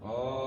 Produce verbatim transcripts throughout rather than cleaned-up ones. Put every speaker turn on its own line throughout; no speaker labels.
Alleluia.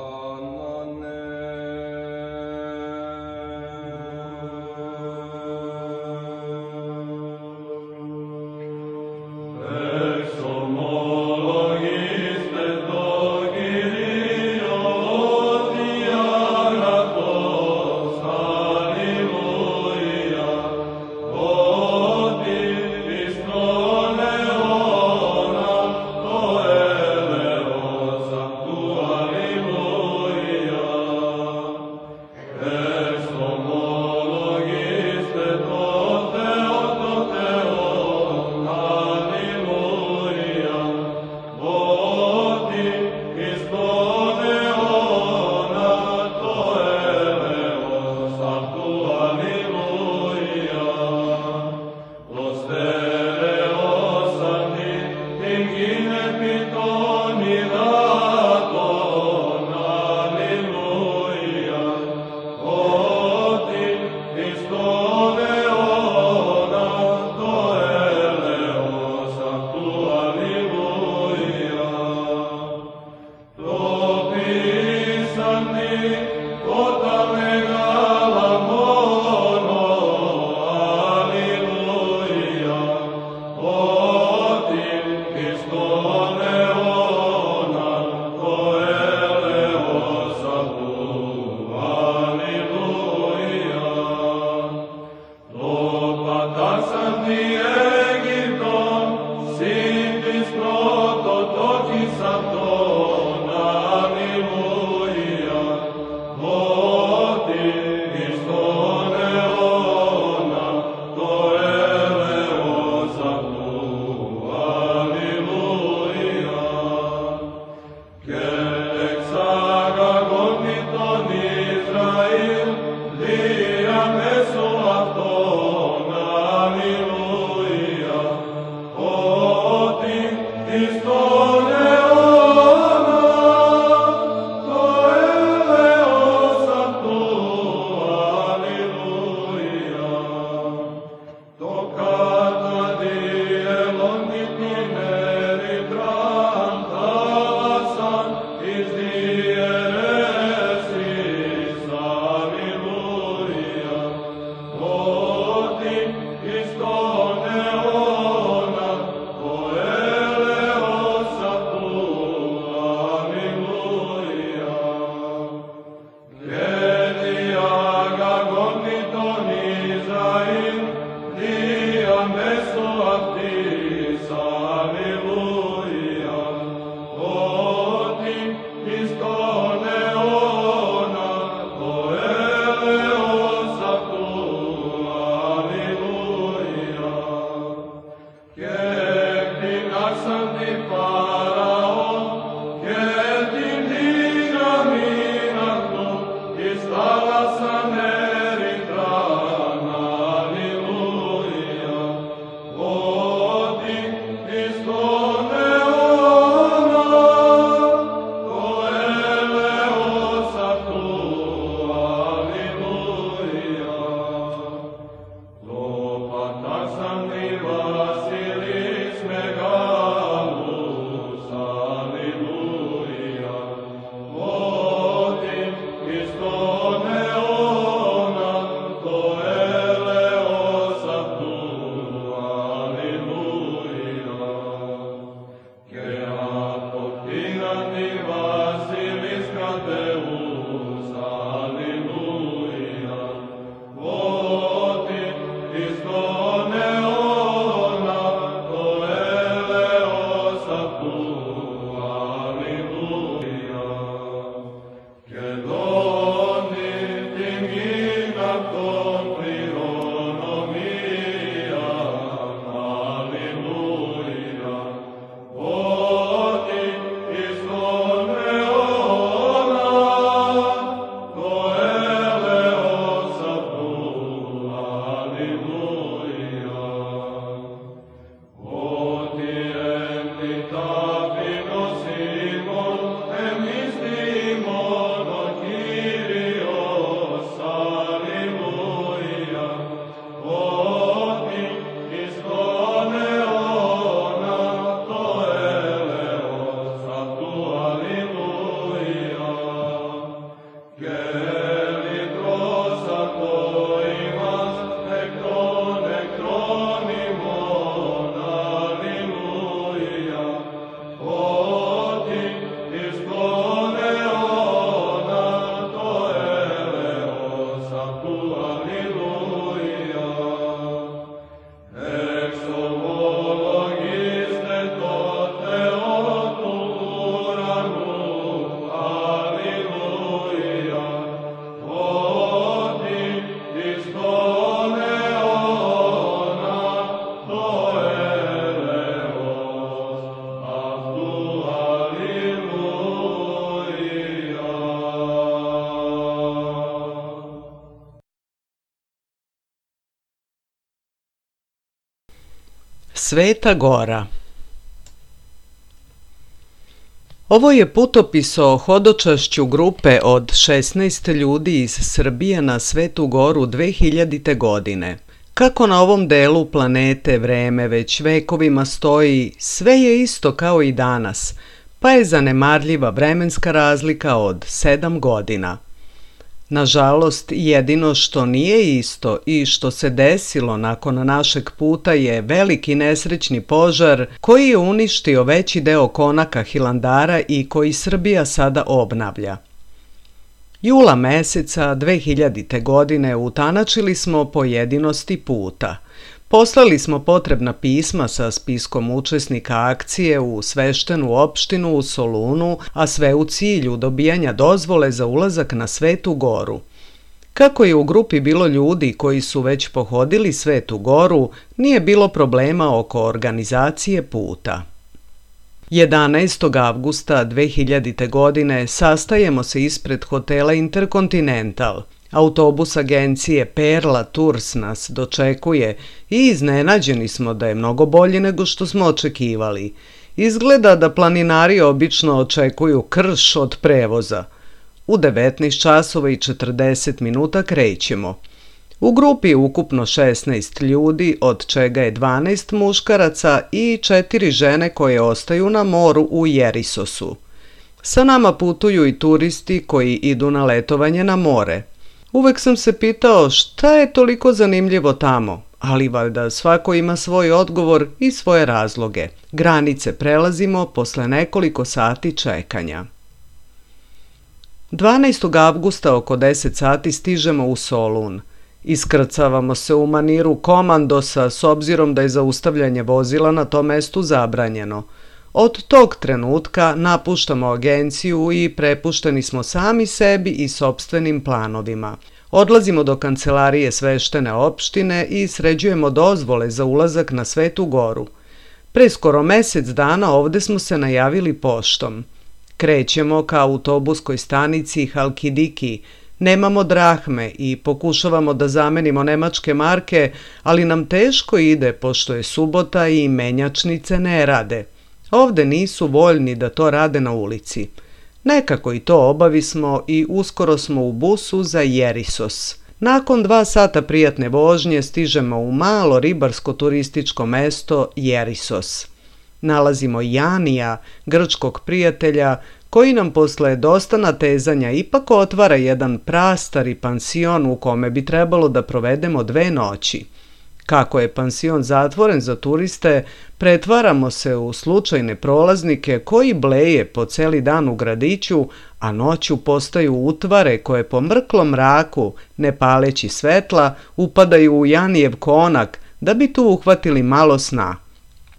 Sveta Gora. Ovo je putopis o hodočašću grupe od šesnaest ljudi iz Srbije na Svetu Goru dve hiljadite. godine. Kako na ovom delu planete vreme već vekovima stoji, sve je isto kao i danas, pa je zanemarljiva vremenska razlika od sedam godina. Nažalost, jedino što nije isto i što se desilo nakon našeg puta je veliki nesrećni požar koji je uništio veći deo konaka Hilandara i koji Srbija sada obnavlja. Jula meseca dve hiljadite. godine utanačili smo pojedinosti puta. Poslali smo potrebna pisma sa spiskom učesnika akcije u sveštenu opštinu u Solunu, a sve u cilju dobijanja dozvole za ulazak na Svetu Goru. Kako je u grupi bilo ljudi koji su već pohodili Svetu Goru, nije bilo problema oko organizacije puta. jedanaestog avgusta dve hiljadite. godine sastajemo se ispred hotela Intercontinental. Autobus agencije Perla Tours nas dočekuje i iznenađeni smo da je mnogo bolji nego što smo očekivali. Izgleda da planinari obično očekuju krš od prevoza. U devetnaest časova i četrdeset minuta krećemo. U grupi je ukupno šesnaest ljudi, od čega je dvanaest muškaraca i četiri žene koje ostaju na moru u Jerisosu. Sa nama putuju i turisti koji idu na letovanje na more. Uvek sam se pitao šta je toliko zanimljivo tamo, ali valjda svako ima svoj odgovor i svoje razloge. Granice prelazimo posle nekoliko sati čekanja. dvanaestog avgusta oko deset sati stižemo u Solun. Iskrcavamo se u maniru komandosa s obzirom da je zaustavljanje vozila na tom mestu zabranjeno. Od tog trenutka napuštamo agenciju i prepušteni smo sami sebi i sopstvenim planovima. Odlazimo do kancelarije sveštene opštine i sređujemo dozvole za ulazak na Svetu Goru. Pre skoro mesec dana ovde smo se najavili poštom. Krećemo ka autobuskoj stanici Halkidiki. Nemamo drahme i pokušavamo da zamenimo nemačke marke, ali nam teško ide pošto je subota i menjačnice ne rade. Ovde nisu voljni da to rade na ulici. Nekako i to obavismo i uskoro smo u busu za Jerisos. Nakon dva sata prijatne vožnje stižemo u malo ribarsko-turističko mesto Jerisos. Nalazimo Janija, grčkog prijatelja, koji nam posle dosta natezanja ipak otvara jedan prastari pansion u kome bi trebalo da provedemo dve noći. Kako je pansion zatvoren za turiste, pretvaramo se u slučajne prolaznike koji bleje po celi dan u gradiću, a noću postaju utvare koje po mrklom mraku, ne paleći svetla, upadaju u Janijev konak da bi tu uhvatili malo sna.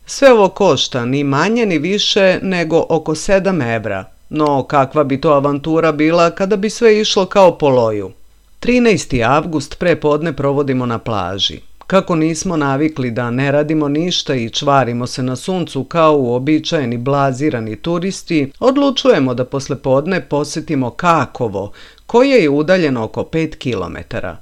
Sve ovo košta ni manje ni više nego oko sedam evra, no kakva bi to avantura bila kada bi sve išlo kao po loju. trinaesti avgust pre podne provodimo na plaži. Kako nismo navikli da ne radimo ništa i čvarimo se na suncu kao uobičajeni blazirani turisti, odlučujemo da posle podne posetimo Kakovo, koje je udaljeno oko pet kilometara.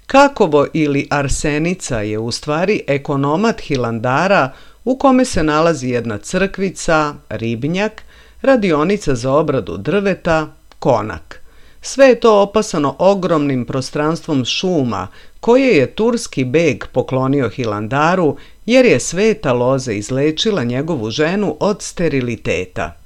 Kakovo ili Arsenica je u stvari ekonomat Hilandara u kome se nalazi jedna crkvica, ribnjak, radionica za obradu drveta, konak. Sve je to opasano ogromnim prostranstvom šuma koje je turski beg poklonio Hilandaru jer je sveta loza izlečila njegovu ženu od steriliteta.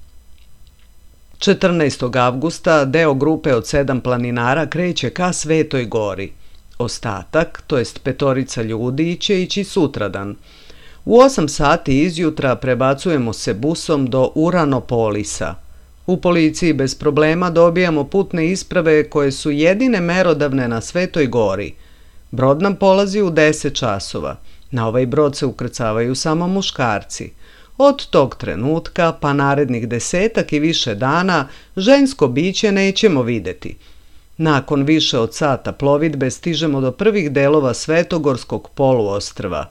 četrnaestog avgusta deo grupe od sedam planinara kreće ka Svetoj Gori. Ostatak, to jest petorica ljudi, će ići sutradan. U osam sati izjutra prebacujemo se busom do Uranopolisa. U policiji bez problema dobijamo putne isprave koje su jedine merodavne na Svetoj Gori. Brod nam polazi u deset časova. Na ovaj brod se ukrcavaju samo muškarci. Od tog trenutka pa narednih desetak i više dana žensko biće nećemo videti. Nakon više od sata plovidbe stižemo do prvih delova Svetogorskog poluostrva.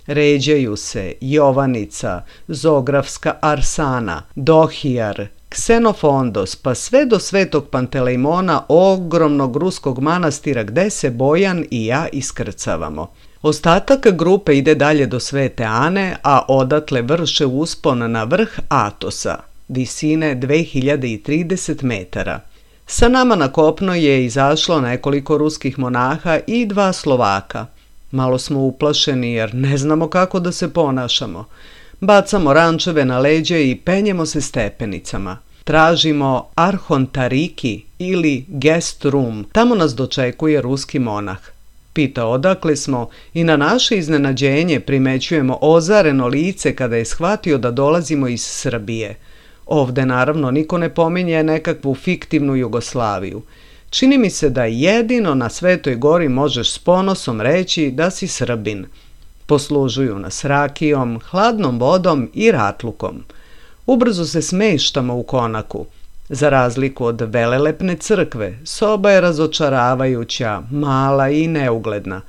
Ređaju se Jovannica, Zografska Arsana, Dohijar, Ksenofondos, pa sve do Svetog Pantelejmona, ogromnog ruskog manastira gde se Bojan i ja iskrcavamo. Ostatak grupe ide dalje do Svete Ane, a odatle vrše uspon na vrh Atosa, visine dve hiljade trideset metara. Sa nama na kopno je izašlo nekoliko ruskih monaha i dva Slovaka. Malo smo uplašeni jer ne znamo kako da se ponašamo. Bacamo rančeve na leđe i penjemo se stepenicama. Tražimo Arhontariki ili guest room, tamo nas dočekuje ruski monah. Pita odakle smo i na naše iznenađenje primećujemo ozareno lice kada je shvatio da dolazimo iz Srbije. Ovde naravno niko ne pominje nekakvu fiktivnu Jugoslaviju. Čini mi se da jedino na Svetoj gori možeš s ponosom reći da si Srbin. Poslužuju nas rakijom, hladnom vodom i ratlukom. Ubrzo se smeštamo u konaku. Za razliku od velelepne crkve, soba je razočaravajuća, mala i neugledna.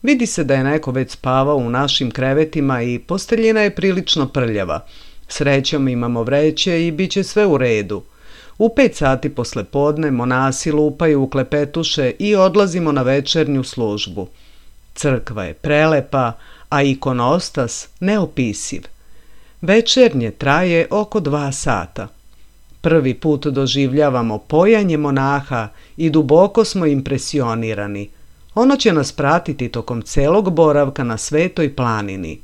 Vidi se da je neko već spavao u našim krevetima i posteljina je prilično prljava. Srećom imamo vreće i bit će sve u redu. U pet sati posle podne monasi lupaju u klepetuše i odlazimo na večernju službu. Crkva je prelepa, a ikonostas neopisiv. Večernje traje oko dva sata. Prvi put doživljavamo pojanje monaha i duboko smo impresionirani. Ono će nas pratiti tokom celog boravka na Svetoj planini.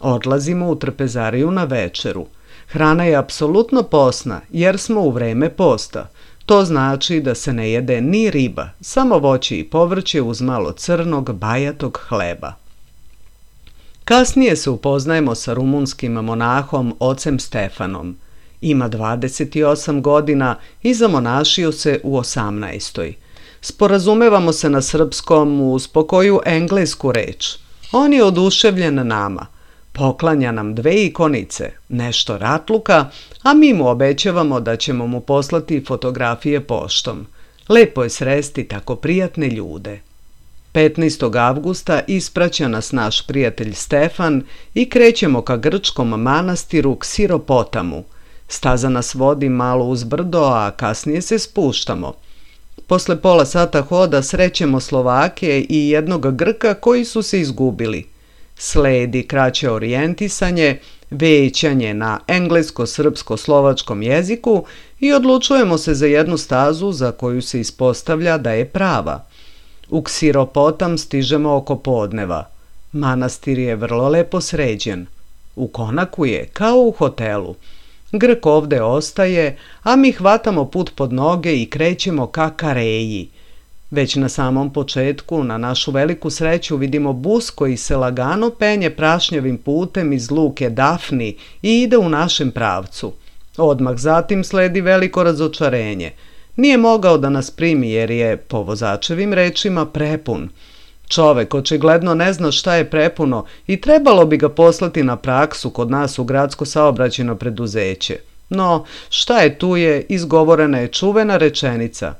Odlazimo u trpezariju na večeru. Hrana je apsolutno posna jer smo u vreme posta. To znači da se ne jede ni riba, samo voće i povrće uz malo crnog, bajatog hleba. Kasnije se upoznajemo sa rumunskim monahom ocem Stefanom. Ima dvadeset osam godina i zamonašio se u osamnaestoj. Sporazumevamo se na srpskom uz pokoju englesku reč. On je oduševljen nama. Poklanja nam dve ikonice, nešto ratluka, a mi mu obećavamo da ćemo mu poslati fotografije poštom. Lepo je sresti tako prijatne ljude. petnaestog avgusta ispraća nas naš prijatelj Stefan i krećemo ka grčkom manastiru Ksiropotamu. Staza nas vodi malo uz brdo, a kasnije se spuštamo. Posle pola sata hoda srećemo Slovake i jednog Grka koji su se izgubili. Sledi kraće orijentisanje, većanje na englesko-srpsko-slovačkom jeziku i odlučujemo se za jednu stazu za koju se ispostavlja da je prava. U Ksiropotam stižemo oko podneva. Manastir je vrlo lepo sređen. U konaku je kao u hotelu. Grk ovde ostaje, a mi hvatamo put pod noge i krećemo ka Kareji. Već na samom početku, na našu veliku sreću, vidimo bus koji se lagano penje prašnjavim putem iz luke Dafni i ide u našem pravcu. Odmah zatim sledi veliko razočarenje. Nije mogao da nas primi jer je, po vozačevim rečima, prepun. Čovek očigledno ne zna šta je prepuno i trebalo bi ga poslati na praksu kod nas u gradsko saobraćajno preduzeće. No, šta je tu je, izgovorena je čuvena rečenica.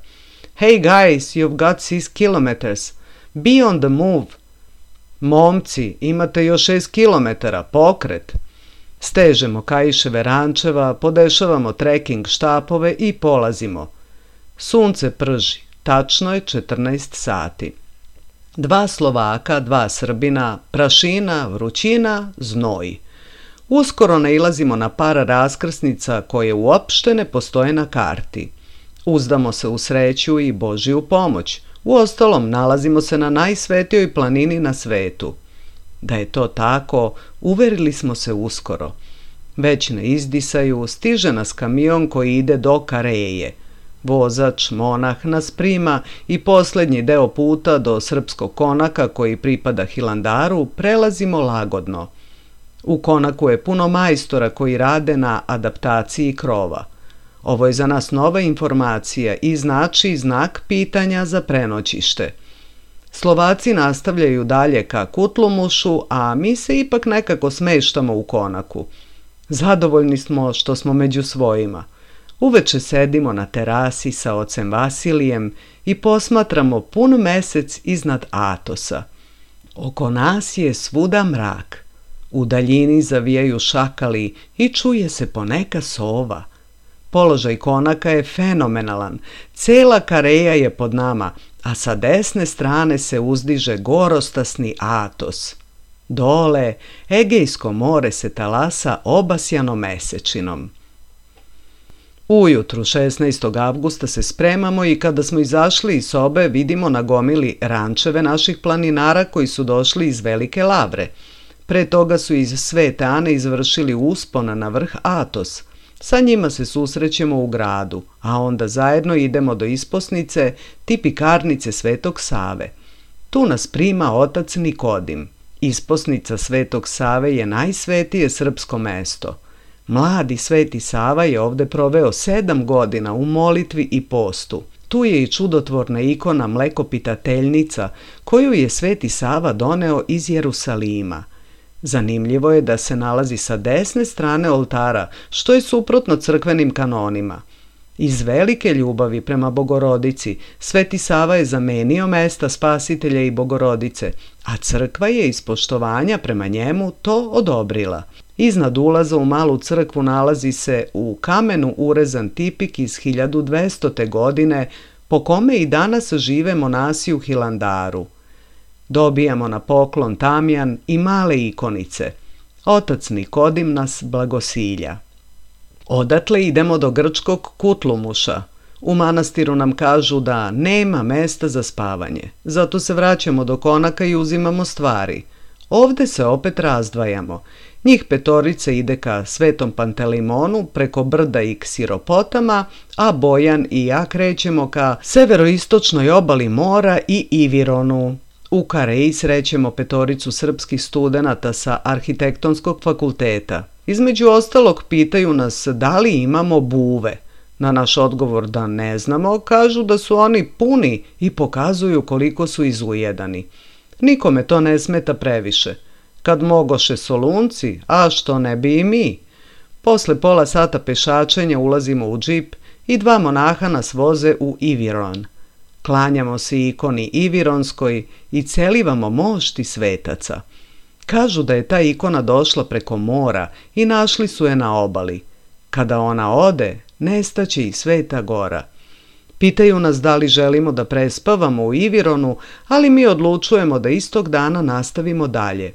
Hey guys, you've got six kilometers. Be on the move. Momci, imate još šest kilometara, pokret. Stežemo kaiševe rančeva, podešavamo trekking štapove i polazimo. Sunce prži, tačno je četrnaest sati. Dva Slovaka, dva Srbina, prašina, vrućina, znoj. Uskoro nailazimo na par raskrsnica koje uopšte ne postoje na karti. Uzdamo se u sreću i Božiju pomoć. Uostalom, nalazimo se na najsvetijoj planini na svetu. Da je to tako, uverili smo se uskoro. Već na izdisaju stiže nas kamion koji ide do Kareje. Vozač, monah nas prima i posljednji deo puta do srpskog konaka koji pripada Hilandaru prelazimo lagodno. U konaku je puno majstora koji rade na adaptaciji krova. Ovo je za nas nova informacija i znači znak pitanja za prenoćište. Slovaci nastavljaju dalje ka Kutlumušu, a mi se ipak nekako smeštamo u konaku. Zadovoljni smo što smo među svojima. Uveče sedimo na terasi sa ocem Vasilijem i posmatramo pun mesec iznad Atosa. Oko nas je svuda mrak. U daljini zavijaju šakali i čuje se poneka sova. Položaj konaka je fenomenalan. Cela Kareja je pod nama, a sa desne strane se uzdiže gorostasni Atos. Dole, Egejsko more se talasa obasjano mesečinom. Ujutru šesnaestog avgusta se spremamo i kada smo izašli iz sobe vidimo na gomili rančeve naših planinara koji su došli iz Velike Lavre. Pre toga su iz Svete Ane izvršili uspon na vrh Atos. Sa njima se susrećemo u gradu, a onda zajedno idemo do isposnice tipikarnice Svetog Save. Tu nas prima otac Nikodim. Isposnica Svetog Save je najsvetije srpsko mesto. Mladi Sveti Sava je ovde proveo sedam godina u molitvi i postu. Tu je i čudotvorna ikona mlekopitateljnica koju je Sveti Sava doneo iz Jerusalima. Zanimljivo je da se nalazi sa desne strane oltara, što je suprotno crkvenim kanonima. Iz velike ljubavi prema Bogorodici, Sveti Sava je zamenio mesta Spasitelja i Bogorodice, a crkva je iz poštovanja prema njemu to odobrila. Iznad ulaza u malu crkvu nalazi se u kamenu urezan tipik iz hiljadu dvestote. godine, po kome i danas žive monasi u Hilandaru. Dobijamo na poklon tamjan i male ikonice. Otac Nikodim nas blagosilja. Odatle idemo do grčkog Kutlumuša. U manastiru nam kažu da nema mesta za spavanje, zato se vraćamo do konaka i uzimamo stvari. Ovde se opet razdvajamo. Njih petorica ide ka Svetom Pantelimonu preko brda i Ksiropotama, a Bojan i ja krećemo ka severoistočnoj obali mora i Ivironu. U Kareji srećemo petoricu srpskih studenata sa Arhitektonskog fakulteta. Između ostalog pitaju nas da li imamo buve. Na naš odgovor da ne znamo, kažu da su oni puni i pokazuju koliko su izujedani. Nikome to ne smeta previše. Kad mogoše Solunci, a što ne bi i mi? Posle pola sata pešačenja ulazimo u džip i dva monaha nas voze u Iviron. Klanjamo se ikoni Ivironskoj i celivamo mošti svetaca. Kažu da je ta ikona došla preko mora i našli su je na obali. Kada ona ode, nestaće i Sveta Gora. Pitaju nas da li želimo da prespavamo u Ivironu, ali mi odlučujemo da istog dana nastavimo dalje.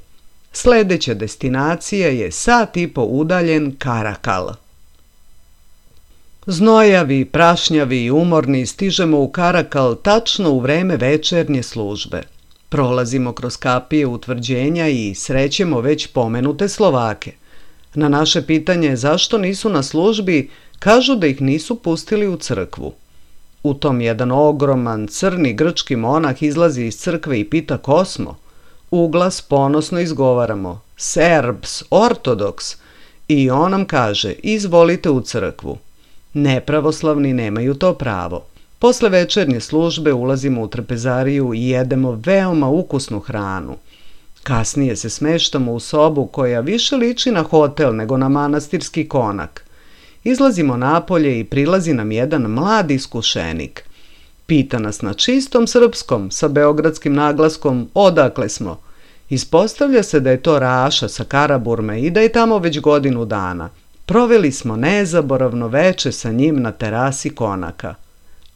Sledeća destinacija je sat i po udaljen Karakal. Znojavi, prašnjavi i umorni stižemo u Karakal tačno u vreme večernje službe. Prolazimo kroz kapije utvrđenja i srećemo već pomenute Slovake. Na naše pitanje zašto nisu na službi, kažu da ih nisu pustili u crkvu. U tom jedan ogroman crni grčki monah izlazi iz crkve i pita ko smo. Uglas ponosno izgovaramo Serbs, ortodoks, i on nam kaže izvolite u crkvu. Nepravoslavni nemaju to pravo. Posle večernje službe ulazimo u trpezariju i jedemo veoma ukusnu hranu. Kasnije se smeštamo u sobu koja više liči na hotel nego na manastirski konak. Izlazimo napolje i prilazi nam jedan mladi iskušenik. Pita nas na čistom srpskom sa beogradskim naglaskom odakle smo. Ispostavlja se da je to Raša sa Karaburme i da je tamo već godinu dana. Proveli smo nezaboravno veče sa njim na terasi konaka.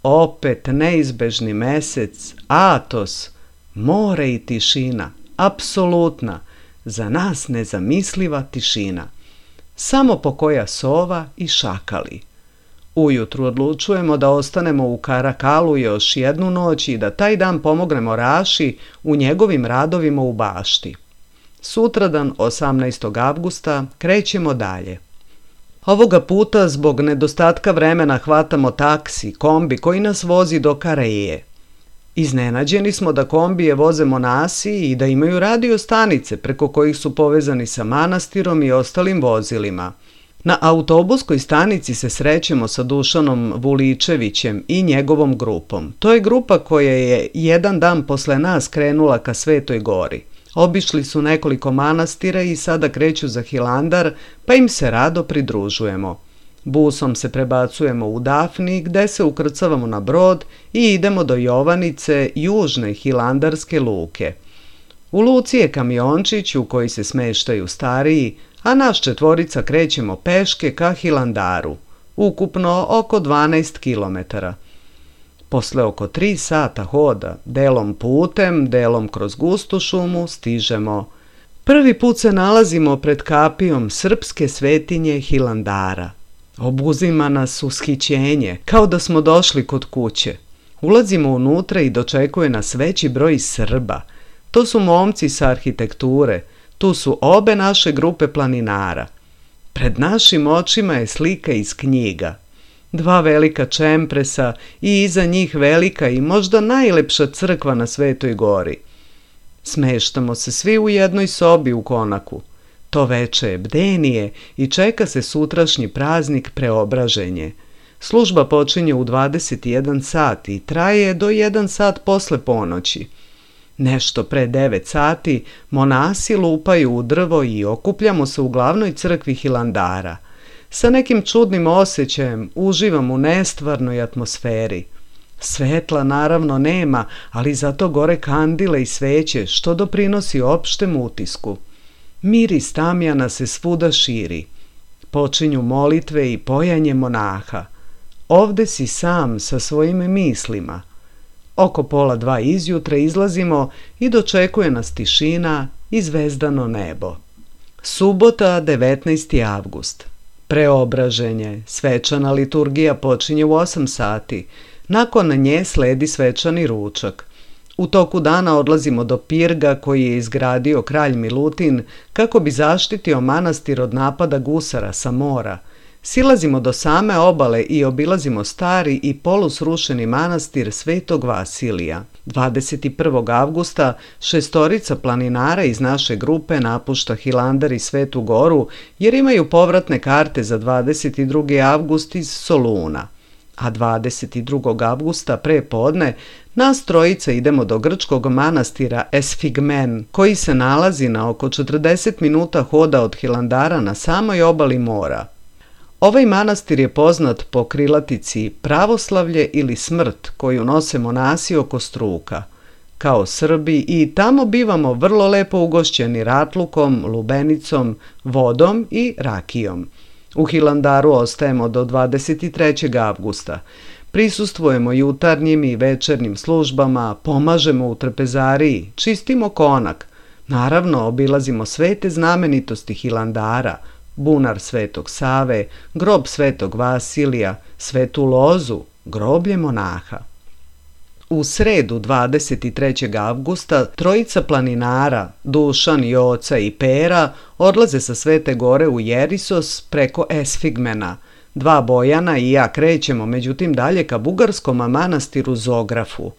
Opet neizbežni mesec, Atos, more i tišina, apsolutna, za nas nezamisliva tišina. Samo pokoja sova i šakali. Ujutru odlučujemo da ostanemo u Karakalu još jednu noć i da taj dan pomognemo Raši u njegovim radovima u bašti. Sutradan, osamnaestog avgusta, krećemo dalje. Ovoga puta zbog nedostatka vremena hvatamo taksi, kombi koji nas vozi do Kareje. Iznenađeni smo da kombije voze monasi i da imaju radio stanice preko kojih su povezani sa manastirom i ostalim vozilima. Na autobuskoj stanici se srećemo sa Dušanom Vuličevićem i njegovom grupom. To je grupa koja je jedan dan posle nas krenula ka Svetoj Gori. Obišli su nekoliko manastira i sada kreću za Hilandar, pa im se rado pridružujemo. Busom se prebacujemo u Dafni, gde se ukrcavamo na brod i idemo do Jovanice, južne hilandarske luke. U luci je kamiončić u koji se smeštaju stariji, a naš četvorica krećemo peške ka Hilandaru, ukupno oko dvanaest kilometara. Posle oko tri sata hoda, delom putem, delom kroz gustu šumu, stižemo. Prvi put se nalazimo pred kapijom srpske svetinje Hilandara. Obuzima nas ushićenje, kao da smo došli kod kuće. Ulazimo unutra i dočekuje nas veći broj Srba. To su momci sa arhitekture, tu su obe naše grupe planinara. Pred našim očima je slika iz knjiga. Dva velika čempresa i iza njih velika i možda najlepša crkva na Svetoj gori. Smeštamo se svi u jednoj sobi u konaku. To veče je bdenije i čeka se sutrašnji praznik Preobraženje. Služba počinje u dvadeset jedan sat i traje do jedan sat posle ponoći. Nešto pre devet sati monasi lupaju u drvo i okupljamo se u glavnoj crkvi Hilandara. Sa nekim čudnim osjećajem uživam u nestvarnoj atmosferi. Svetla naravno nema, ali zato gore kandile i sveće što doprinosi opštem utisku. Miris tamjana se svuda širi. Počinju molitve i pojanje monaha. Ovde si sam sa svojim mislima. Oko pola dva izjutra izlazimo i dočekuje nas tišina i zvezdano nebo. Subota, devetnaesti avgust. Preobraženje, svečana liturgija počinje u osam sati. Nakon nje sledi svečani ručak. U toku dana odlazimo do pirga koji je izgradio kralj Milutin kako bi zaštitio manastir od napada gusara sa mora. Silazimo do same obale i obilazimo stari i polusrušeni manastir Svetog Vasilija. dvadeset prvog avgusta šestorica planinara iz naše grupe napušta Hilandar i Svetu goru jer imaju povratne karte za dvadeset drugi avgust iz Soluna. A dvadeset drugog avgusta pre podne nas trojica idemo do grčkog manastira Esfigmen, koji se nalazi na oko četrdeset minuta hoda od Hilandara na samoj obali mora. Ovaj manastir je poznat po krilatici pravoslavlje ili smrt koju nose monasi oko struka. Kao Srbi i tamo bivamo vrlo lepo ugošćeni ratlukom, lubenicom, vodom i rakijom. U Hilandaru ostajemo do dvadeset trećeg avgusta. Prisustvujemo jutarnjim i večernjim službama, pomažemo u trpezariji, čistimo konak. Naravno, obilazimo svete znamenitosti Hilandara, bunar Svetog Save, grob Svetog Vasilija, Svetu Lozu, groblje monaha. U sredu dvadeset trećeg avgusta trojica planinara, Dušan, Joca i Pera, odlaze sa Svete gore u Jerisos preko Esfigmena. Dva Bojana i ja krećemo međutim dalje ka bugarskom manastiru Zografu.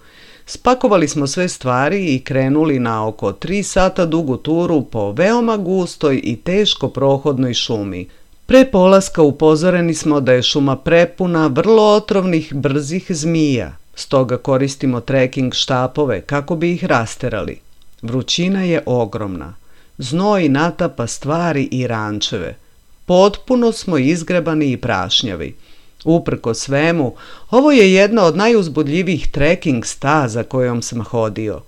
Spakovali smo sve stvari i krenuli na oko tri sata dugu turu po veoma gustoj i teško prohodnoj šumi. Pre polaska upozoreni smo da je šuma prepuna vrlo otrovnih brzih zmija, stoga koristimo treking štapove kako bi ih rasterali. Vrućina je ogromna. Znoj natapa stvari i rančeve. Potpuno smo izgrebani i prašnjavi. Uprko svemu, ovo je jedna od najuzbudljivijih treking staza kojom sam hodio.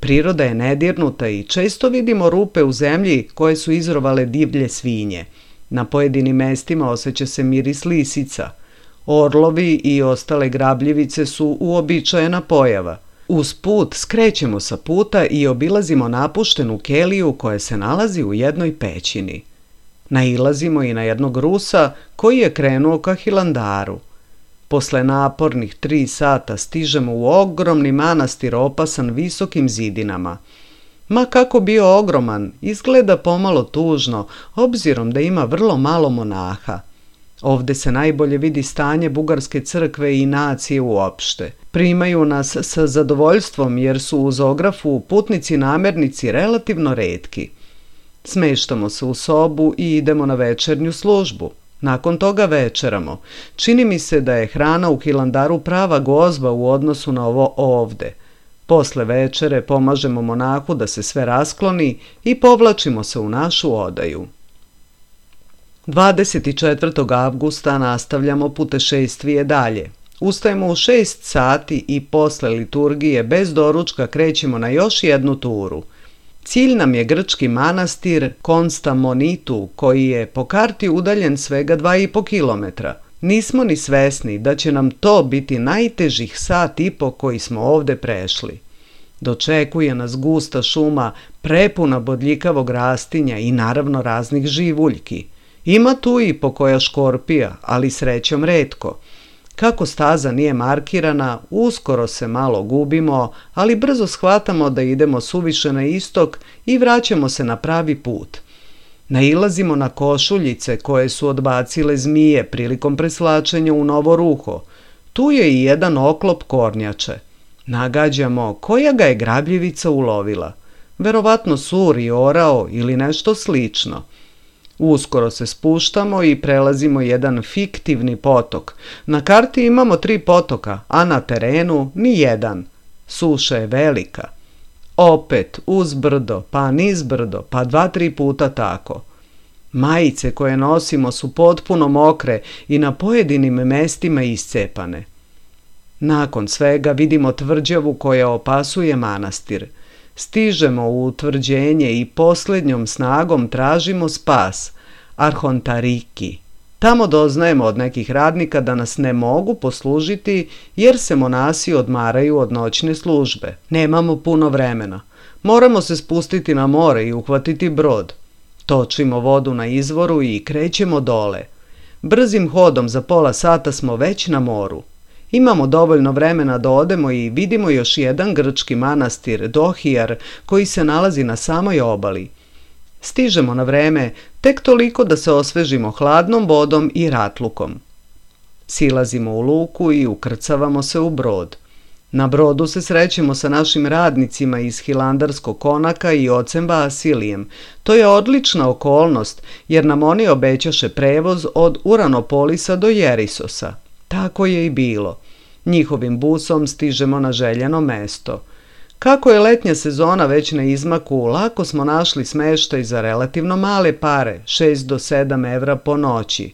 Priroda je nedirnuta i često vidimo rupe u zemlji koje su izrovale divlje svinje. Na pojedinim mestima osjeća se miris lisica. Orlovi i ostale grabljivice su uobičajena pojava. Uz put skrećemo sa puta i obilazimo napuštenu keliju koja se nalazi u jednoj pećini. Nailazimo i na jednog Rusa koji je krenuo ka Hilandaru. Posle napornih tri sata stižemo u ogromni manastir opasan visokim zidinama. Ma kako bio ogroman, izgleda pomalo tužno, obzirom da ima vrlo malo monaha. Ovde se najbolje vidi stanje bugarske crkve i nacije uopšte. Primaju nas sa zadovoljstvom jer su u Zografu putnici namernici relativno retki. Smeštamo se u sobu i idemo na večernju službu. Nakon toga večeramo. Čini mi se da je hrana u Hilandaru prava gozba u odnosu na ovo ovde. Posle večere pomažemo monahu da se sve raskloni i povlačimo se u našu odaju. dvadeset četvrtog avgusta nastavljamo putešestvije dalje. Ustajemo u šest sati i posle liturgije bez doručka krećemo na još jednu turu. Cilj nam je grčki manastir Konstamonitu, koji je po karti udaljen svega dva i po kilometra. Nismo ni svesni da će nam to biti najtežih sat i po koji smo ovde prešli. Dočekuje nas gusta šuma, prepuna bodljikavog rastinja i naravno raznih živuljki. Ima tu i pokoja škorpija, ali srećom retko. Kako staza nije markirana, uskoro se malo gubimo, ali brzo shvatamo da idemo suviše na istok i vraćamo se na pravi put. Nailazimo na košuljice koje su odbacile zmije prilikom preslačenja u novo ruho. Tu je i jedan oklop kornjače. Nagađamo koja ga je grabljivica ulovila. Verovatno sur i orao ili nešto slično. Uskoro se spuštamo i prelazimo jedan fiktivni potok. Na karti imamo tri potoka, a na terenu ni jedan. Suša je velika. Opet uz brdo, pa niz brdo, pa dva, tri puta tako. Majice koje nosimo su potpuno mokre i na pojedinim mestima iscepane. Nakon svega vidimo tvrđavu koja opasuje manastir. Stižemo u utvrđenje i posljednjom snagom tražimo spas, Arhontariki. Tamo doznajemo od nekih radnika da nas ne mogu poslužiti jer se monasi odmaraju od noćne službe. Nemamo puno vremena. Moramo se spustiti na more i uhvatiti brod. Točimo vodu na izvoru i krećemo dole. Brzim hodom za pola sata smo već na moru. Imamo dovoljno vremena da odemo i vidimo još jedan grčki manastir, Dohijar, koji se nalazi na samoj obali. Stižemo na vreme, tek toliko da se osvežimo hladnom vodom i ratlukom. Silazimo u luku i ukrcavamo se u brod. Na brodu se srećemo sa našim radnicima iz Hilandarskog konaka i ocem Vasilijem. To je odlična okolnost, jer nam oni obećaše prevoz od Uranopolisa do Jerisosa. Tako je i bilo. Njihovim busom stižemo na željeno mesto. Kako je letnja sezona već na izmaku, lako smo našli smeštaj za relativno male pare, šest do sedam evra po noći.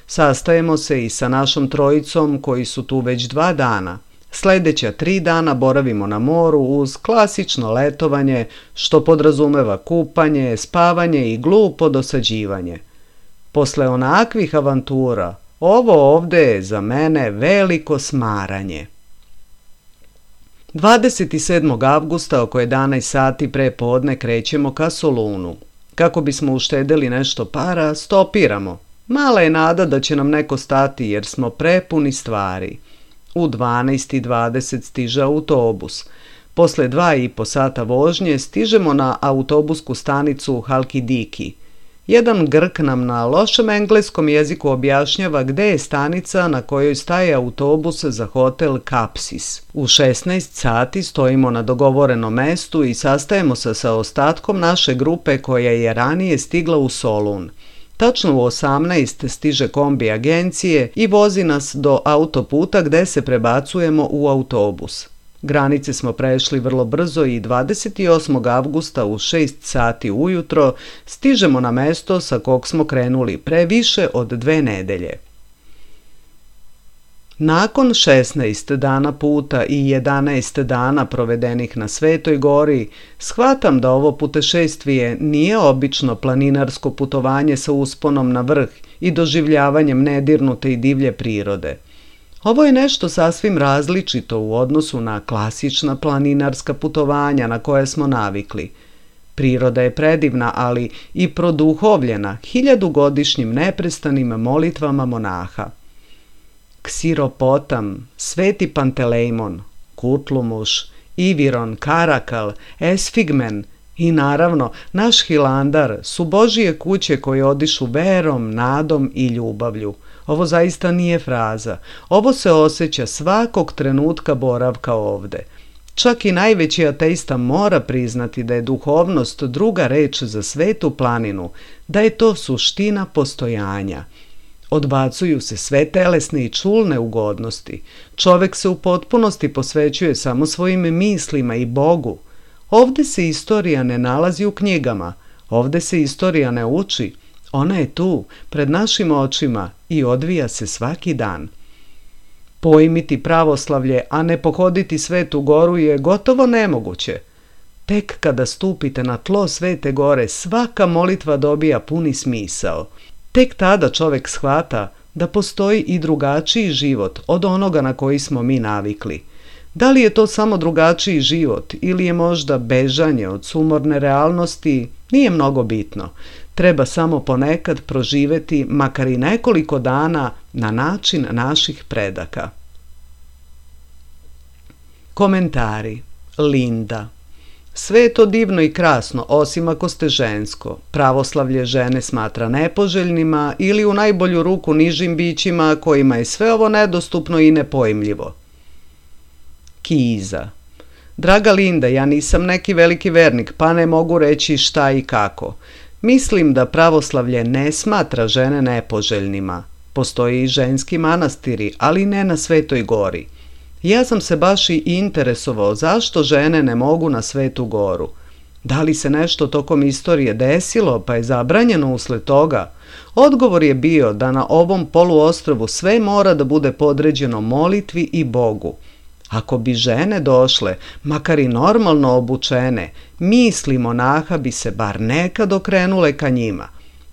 Sastajemo se i sa našom trojicom koji su tu već dva dana. Sljedeća tri dana boravimo na moru uz klasično letovanje, što podrazumeva kupanje, spavanje i glupo dosađivanje. Posle onakvih avantura, ovo ovde je za mene veliko smaranje. dvadeset sedmog avgusta oko jedanaest sati pre podne krećemo ka Solunu. Kako bismo uštedeli nešto para, stopiramo. Mala je nada da će nam neko stati jer smo prepuni stvari. U dvanaest i dvadeset stiže autobus. Posle dva i po sata vožnje stižemo na autobusku stanicu Halkidiki. Jedan Grk nam na lošem engleskom jeziku objašnjava gde je stanica na kojoj staje autobus za hotel Kapsis. U šesnaest sati stojimo na dogovorenom mestu i sastajemo se sa ostatkom naše grupe koja je ranije stigla u Solun. Tačno u osamnaest stiže kombi agencije i vozi nas do autoputa gde se prebacujemo u autobus. Granice smo prešli vrlo brzo i dvadeset osmog avgusta u šest sati ujutro stižemo na mesto sa kog smo krenuli pre više od dve nedelje. Nakon šesnaest dana puta i jedanaest dana provedenih na Svetoj gori, shvatam da ovo putešestvije nije obično planinarsko putovanje sa usponom na vrh i doživljavanjem nedirnute i divlje prirode. Ovo je nešto sasvim različito u odnosu na klasična planinarska putovanja na koje smo navikli. Priroda je predivna, ali i produhovljena hiljadugodišnjim neprestanim molitvama monaha. Ksiropotam, Sveti Pantelejmon, Kutlumuš, Iviron, Karakal, Esfigmen i naravno naš Hilandar su Božije kuće koje odišu verom, nadom i ljubavlju. Ovo zaista nije fraza. Ovo se osjeća svakog trenutka boravka ovde. Čak i najveći ateista mora priznati da je duhovnost druga reč za Svetu planinu, da je to suština postojanja. Odbacuju se sve telesne i čulne ugodnosti. Čovek se u potpunosti posvećuje samo svojim mislima i Bogu. Ovde se istorija ne nalazi u knjigama. Ovde se istorija ne uči. Ona je tu, pred našim očima i odvija se svaki dan. Pojmiti pravoslavlje, a ne pohoditi Svetu goru je gotovo nemoguće. Tek kada stupite na tlo Svete gore, svaka molitva dobija puni smisao. Tek tada čovek shvata da postoji i drugačiji život od onoga na koji smo mi navikli. Da li je to samo drugačiji život ili je možda bežanje od sumorne realnosti, nije mnogo bitno. Treba samo ponekad proživeti makar i nekoliko dana na način naših predaka. Komentari. Linda. Sve je to divno i krasno, osim ako ste žensko. Pravoslavlje žene smatra nepoželjnima ili u najbolju ruku nižim bićima kojima je sve ovo nedostupno i nepojmljivo. Kiza. Draga Linda, ja nisam neki veliki vernik, pa ne mogu reći šta i kako. Mislim da pravoslavlje ne smatra žene nepoželjnima. Postoji i ženski manastiri, ali ne na Svetoj gori. Ja sam se baš i interesovao zašto žene ne mogu na Svetu goru. Da li se nešto tokom istorije desilo pa je zabranjeno usled toga? Odgovor je bio da na ovom poluostrvu sve mora da bude podređeno molitvi i Bogu. Ako bi žene došle, makar i normalno obučene, misli monaha bi se bar nekad okrenule ka njima.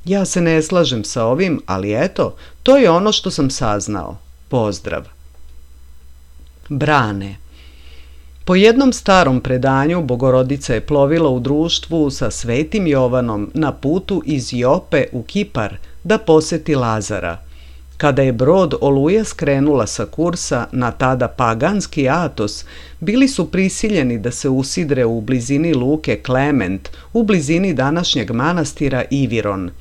Ja se ne slažem sa ovim, ali eto, to je ono što sam saznao. Pozdrav. Brane. Po jednom starom predanju Bogorodica je plovila u društvu sa Svetim Jovanom na putu iz Jope u Kipar da poseti Lazara. Kada je brod Oluja skrenula sa kursa na tada paganski Atos, bili su prisiljeni da se usidre u blizini luke Klement, u blizini današnjeg manastira Iviron.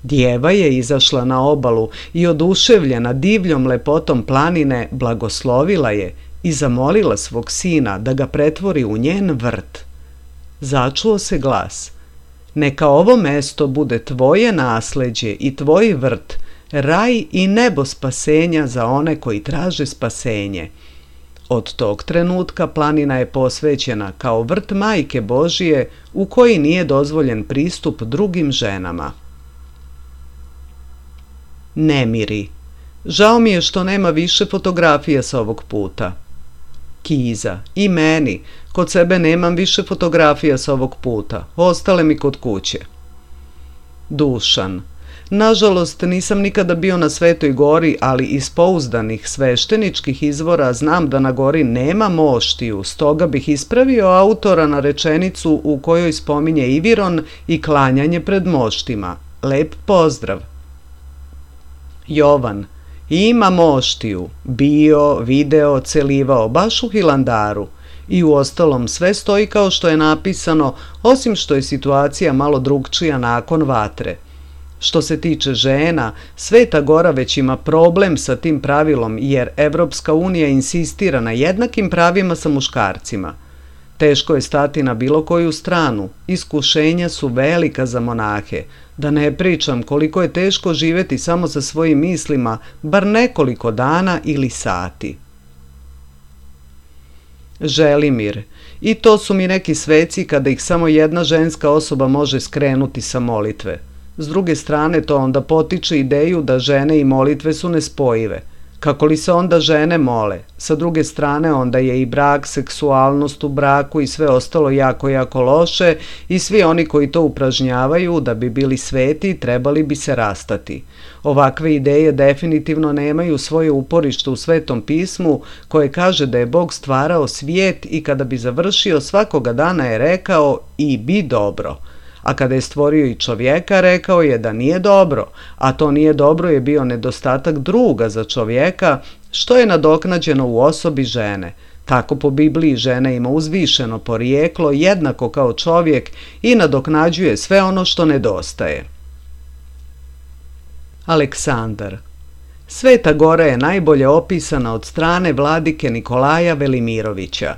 Djeva je izašla na obalu i oduševljena divljom lepotom planine blagoslovila je i zamolila svog sina da ga pretvori u njen vrt. Začuo se glas: "Neka ovo mesto bude tvoje nasleđe i tvoj vrt, raj i nebo spasenja za one koji traže spasenje." Od tog trenutka planina je posvećena kao vrt Majke Božije u koji nije dozvoljen pristup drugim ženama. Nemiri. Žao mi je što nema više fotografija sa ovog puta. Kiza. I meni. Kod sebe nemam više fotografija sa ovog puta. Ostale mi kod kuće. Dušan. Nažalost, nisam nikada bio na Svetoj gori, ali iz pouzdanih svešteničkih izvora znam da na gori nema moštiju, stoga bih ispravio autora na rečenicu u kojoj spominje Iviron i klanjanje pred moštima. Lep pozdrav. Jovan. Ima moštiju. Bio, video, celivao, baš u Hilandaru. I u ostalom sve stoji kao što je napisano, osim što je situacija malo drugčija nakon vatre. Što se tiče žena, Sveta Gora već ima problem sa tim pravilom jer Evropska unija insistira na jednakim pravima sa muškarcima. Teško je stati na bilo koju stranu, iskušenja su velika za monahe, da ne pričam koliko je teško živjeti samo sa svojim mislima, bar nekoliko dana ili sati. Želimir. I to su mi neki sveci kada ih samo jedna ženska osoba može skrenuti sa molitve. S druge strane, to onda potiče ideju da žene i molitve su nespojive. Kako li se onda žene mole? Sa druge strane, onda je i brak, seksualnost u braku i sve ostalo jako, jako loše i svi oni koji to upražnjavaju da bi bili sveti trebali bi se rastati. Ovakve ideje definitivno nemaju svoje uporište u Svetom pismu koje kaže da je Bog stvarao svijet i kada bi završio svakoga dana je rekao i bi dobro. A kada je stvorio i čovjeka, rekao je da nije dobro, a to nije dobro je bio nedostatak druga za čovjeka, što je nadoknađeno u osobi žene. Tako po Bibliji žena ima uzvišeno porijeklo jednako kao čovjek i nadoknađuje sve ono što nedostaje. Aleksandar. Sveta Gora je najbolje opisana od strane vladike Nikolaja Velimirovića.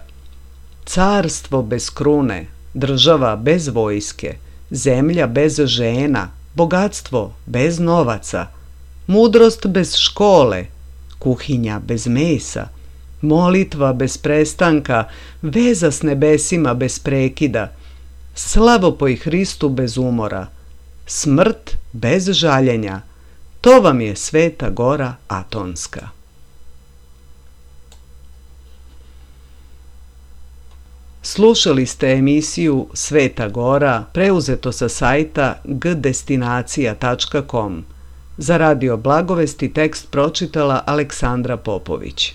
Carstvo bez krune, država bez vojske, zemlja bez žena, bogatstvo bez novaca, mudrost bez škole, kuhinja bez mesa, molitva bez prestanka, veza s nebesima bez prekida, slavopoj Hristu bez umora, smrt bez žaljenja. To vam je Sveta Gora Atonska. Slušali ste emisiju Sveta Gora, preuzeto sa sajta g destinacija tačka com. Za Radio Blagovesti tekst pročitala Aleksandra Popović.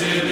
Βασίλη